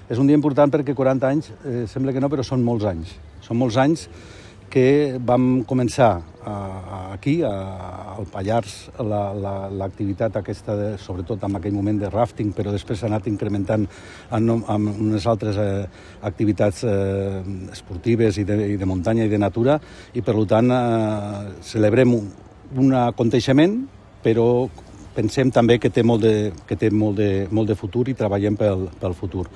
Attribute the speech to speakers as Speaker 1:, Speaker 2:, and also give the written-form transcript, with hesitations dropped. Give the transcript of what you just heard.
Speaker 1: És un dia important perquè 40 anys, sembla que no, però són molts anys. Són molts anys que vam començar aquí, al Pallars, l'activitat aquesta, sobretot en aquell moment de rafting, però després s'ha anat incrementant amb unes altres activitats esportives i de muntanya i de natura, i per tant celebrem un aconteixement, però pensem també que té molt de futur i treballem pel futur.